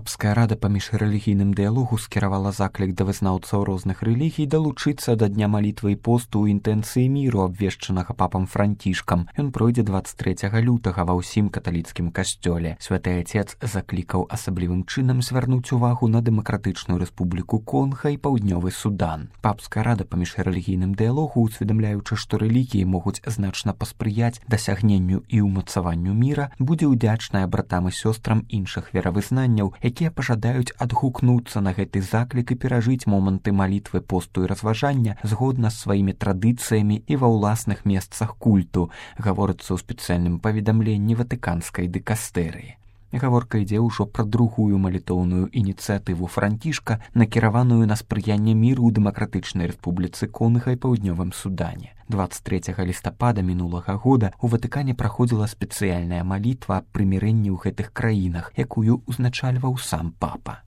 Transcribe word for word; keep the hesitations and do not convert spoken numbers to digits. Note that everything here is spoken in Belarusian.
Папская рада па міжрэлігійным дыялогу скіравала заклік да вызнаўцаў розных рэлігій далучыцца да дня малітвы і посту ў інтэнцыі міру, абвешчанага папам Францішкам. Ён пройдзе дваццаць трэцяга лютага ва ўсім каталіцкім касцёле. Святы Отец заклікаў асаблівым чынам звярнуць увагу на Дэмакратычную Рэспубліку Конга і Паўднёвы Судан. Папская рада па міжрэлігійным дыялогу, усведамляючы, што рэлігіі могуць значна паспрыяць дасягненню і ўмацаванню міра, будзе ўдзячная братам і сёстрам іншых веравызнанняў, якія пажадаюць адгукнуцца на гэты заклік і перажыць моманты малітвы, посту і разважання згодна з сваімі традыцыямі і ва ўласных месцах культу, гаворыцца ў спецыяльным паведамленні ватыканскай дыкастэрыі. Гаворка ідзе ўжо пра другую малітоўную ініцыятыву Францішка, накіраваную на спрыянне міру ў Дэмакратычнай Рэспубліцы Конга і Паўднёвым Судане. дваццаць трэцяга лістапада мінулага года у Ватыкане праходзіла спецыяльная малітва аб прымірэнні ў гэтых краінах, якую ўзначальваў сам папа.